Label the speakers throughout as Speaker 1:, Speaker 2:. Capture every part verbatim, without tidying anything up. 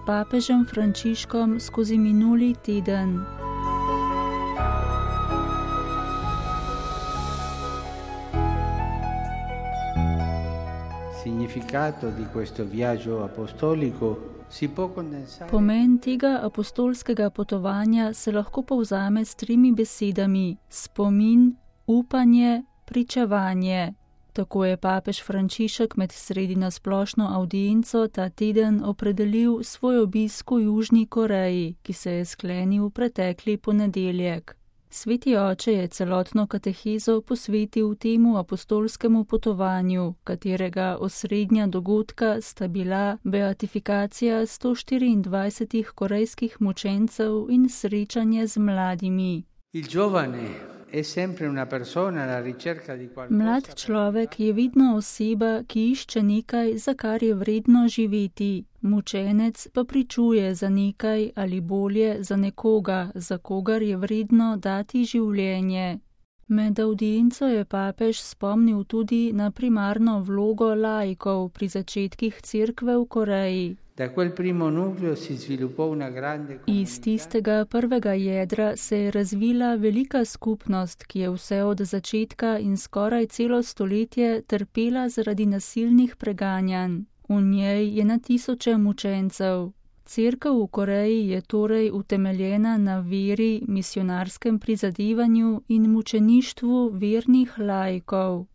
Speaker 1: papežem Frančiškom skozi minuli teden.
Speaker 2: Significato di questo viaggio apostolico si può condensare.
Speaker 1: Pomen tega apostolskega potovanja se lahko povzame s tremi besedami: spomin, upanje, pričevanje. Tako je papež Frančišek med sredino splošno avdienco ta teden opredelil svoj obisk v Južni Koreji, ki se je sklenil pretekli ponedeljek. Sveti oče je celotno katehezo posvetil temu apostolskemu potovanju, katerega osrednja dogodka sta bila beatifikacija sto štiriindvajsetih korejskih mučencev in srečanje z mladimi.
Speaker 2: Il giovane è sempre una persona alla ricerca di qualcosa.
Speaker 1: Mlad človek je vedno oseba, ki išče nekaj, za kar je vredno živeti. Mučenec pa pričuje za nekaj ali bolje za nekoga, za kogar je vredno dati življenje. Med avdienco je papež spomnil tudi na primarno vlogo laikov pri začetkih cerkve v Koreji.
Speaker 2: Da quel primo nucleo si sviluppò una grande comunità.
Speaker 1: Iz tistega prvega jedra se je razvila velika skupnost, ki je vse od začetka in skoraj celo stoletje trpela zaradi nasilnih preganjanj. V njej je na tisoče mučencev. Cerkev v Koreji je torej utemeljena na veri, misionarskem prizadevanju in mučeništvu vernih laikov.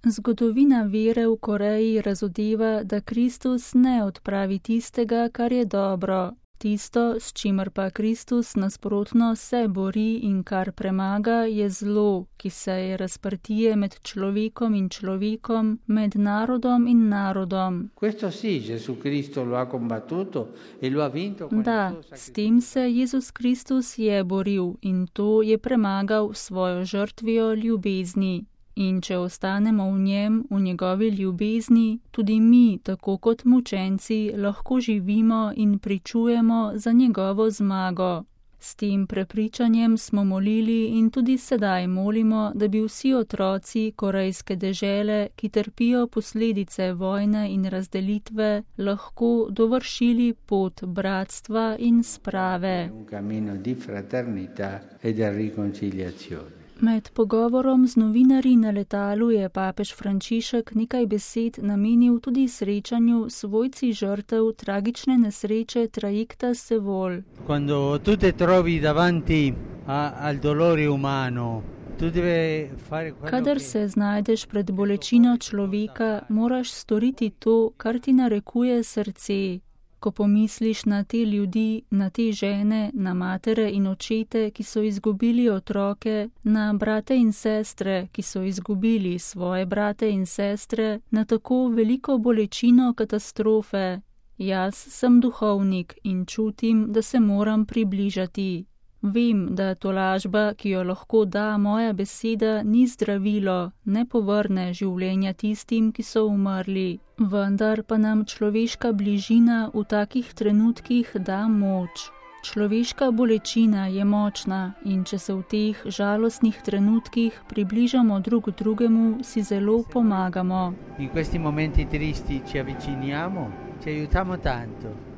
Speaker 1: Zgodovina vere v Koreji razodeva, da Kristus ne odpravi tistega, kar je dobro. Tisto, s čimer pa Kristus nasprotno se bori in kar premaga, je zlo, ki se je razprtije med človekom in človekom, med narodom in narodom.
Speaker 2: Questo sì, Gesù Cristo lo ha combattuto e lo ha vinto con
Speaker 1: Da,
Speaker 2: il suo
Speaker 1: s
Speaker 2: sacrificio.
Speaker 1: tem se Jezus Kristus je boril in to je premagal s svojo žrtvijo ljubezni. In če ostanemo v njem, v njegovi ljubezni, tudi mi, tako kot mučenci, lahko živimo in pričujemo za njegovo zmago. S tem prepričanjem smo molili in tudi sedaj molimo, da bi vsi otroci korejske dežele, ki trpijo posledice vojne in razdelitve, lahko dovršili pot bratstva in sprave.
Speaker 2: Un cammino di fraternità e di riconciliazione.
Speaker 1: Med pogovorom z novinarji na letalu je papež Frančišek nekaj besed namenil tudi srečanju s svojci žrtev tragične nesreče trajekta Seoul.
Speaker 2: Quando tu te trovi davanti a, al dolore umano, tu deve fare quello
Speaker 1: Kadar
Speaker 2: che-
Speaker 1: se znajdeš pred bolečino človeka, moraš storiti to, kar ti narekuje srce. Ko pomisliš na te ljudi, na te žene, na matere in očete, ki so izgubili otroke, na brate in sestre, ki so izgubili svoje brate in sestre, na tako veliko bolečino katastrofe. Jaz sem duhovnik in čutim, da se moram približati. Vem, da tolažba, ki jo lahko da moja beseda, ni zdravilo, ne povrne življenja tistim, ki so umrli. Vendar pa nam človeška bližina v takih trenutkih da moč. Človeška bolečina je močna in če se v teh žalostnih trenutkih približamo drug drugemu, si zelo pomagamo.
Speaker 2: In questi momenti tristi ci avviciniamo, ci aiutiamo tanto.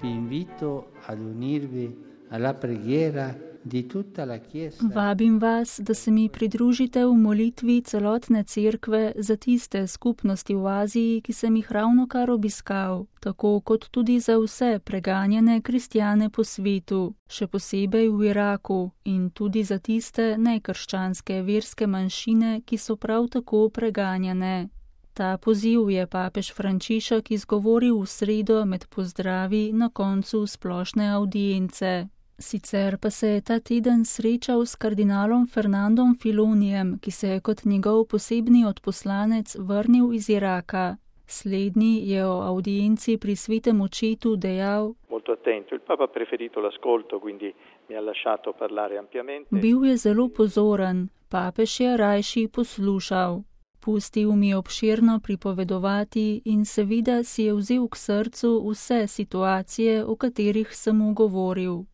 Speaker 2: Vi invito ad unirvi alla preghiera di tutta la Chiesa.
Speaker 1: Vabim vas, da se mi pridružite v molitvi celotne cerkve za tiste skupnosti v Aziji, ki sem jih ravnokar obiskal, tako kot tudi za vse preganjane kristjane po svetu, še posebej v Iraku, in tudi za tiste nekrščanske verske manjšine, ki so prav tako preganjane. Ta poziv je papež Frančišek izgovoril v sredo med pozdravi na koncu splošne avdience. Sicer pa se je ta teden srečal s kardinalom Fernandom Filonijem, ki se je kot njegov posebni odposlanec vrnil iz Iraka. Slednji je o avdienci pri svetem očetu dejal:
Speaker 3: Molto attento, il Papa ha preferito l'ascolto, quindi mi ha lasciato parlare ampiamente.
Speaker 1: Bil je zelo pozoren, papež je rajši poslušal. Pustil mi obširno pripovedovati in seveda si je vzel k srcu vse situacije, o katerih sem mu govoril.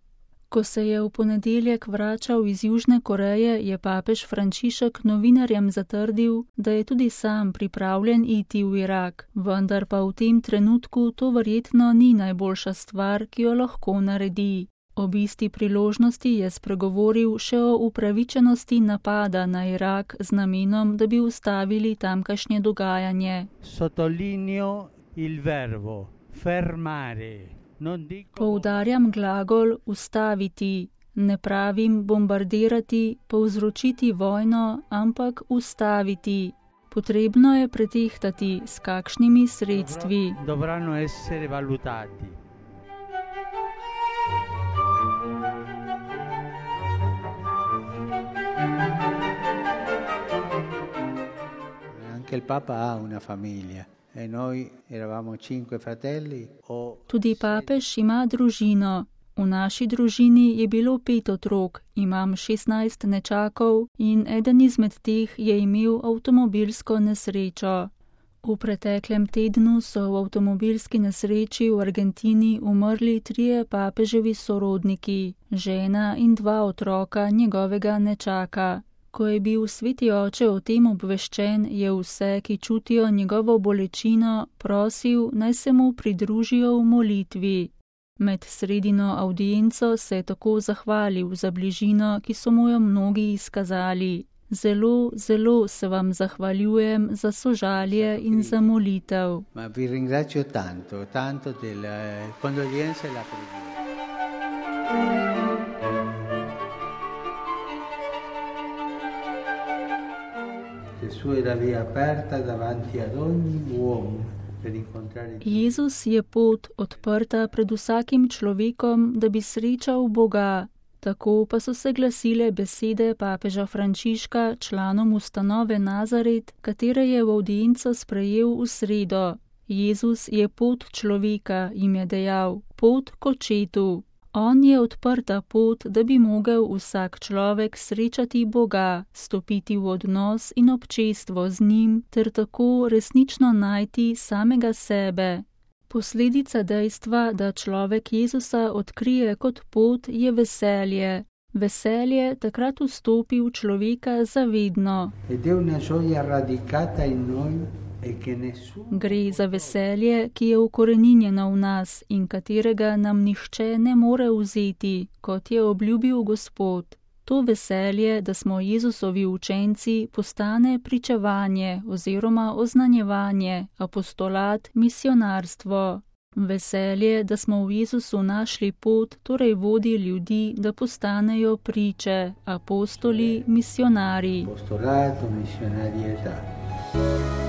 Speaker 1: Ko se je v ponedeljek vračal iz Južne Koreje, je papež Frančišek novinarjem zatrdil, da je tudi sam pripravljen iti v Irak, vendar pa v tem trenutku to verjetno ni najboljša stvar, ki jo lahko naredi. Ob isti priložnosti je spregovoril še o upravičenosti napada na Irak z namenom, da bi ustavili tamkajšnje dogajanje.
Speaker 2: Sottolineo il verbo fermare.
Speaker 1: Poudarjam glagol ustaviti, ne pravim bombardirati, povzročiti vojno, ampak ustaviti. Potrebno je pretehtati, s kakšnimi sredstvi.
Speaker 2: Dovranno essere valutati. Anche il Papa ha una famiglia. E noi eravamo cinque fratelli. O...
Speaker 1: Tudi papež ima družino. V naši družini je bilo pet otrok, imam šestnajst nečakov in eden izmed teh je imel avtomobilsko nesrečo. V preteklem tednu so v avtomobilski nesreči v Argentini umrli trije papeževi sorodniki, žena in dva otroka njegovega nečaka. Ko je bil sveti oče o tem obveščen, je vse, ki čutijo njegovo bolečino, prosil, naj se mu pridružijo v molitvi. Med sredino avdienco se je tako zahvalil za bližino, ki so mu jo mnogi izkazali. Zelo, zelo se vam zahvaljujem za sožalje in za molitev.
Speaker 2: Ma vi ringrazio tanto, tanto della condoglianza e la preghiera.
Speaker 1: Jezus je pot odprta pred vsakim človekom, da bi srečal Boga. Tako pa so se glasile besede papeža Frančiška članom ustanove Nazaret, katere je v avdienco sprejel v sredo. Jezus je pot človeka, jim je dejal, pot k očetu. On je odprta pot, da bi mogel vsak človek srečati Boga, stopiti v odnos in občestvo z njim, ter tako resnično najti samega sebe. Posledica dejstva, da človek Jezusa odkrije kot pot, je veselje. Veselje takrat vstopi v človeka zavedno. Gre za veselje, ki je ukoreninjeno v nas in katerega nam nihče ne more vzeti, kot je obljubil Gospod. To veselje, da smo Jezusovi učenci, postane pričevanje oziroma oznanjevanje, apostolat, misionarstvo. Veselje, da smo v Jezusu našli pot, torej vodi ljudi, da postanejo priče, apostoli, misionarji.
Speaker 2: Apostolato, misionarietà.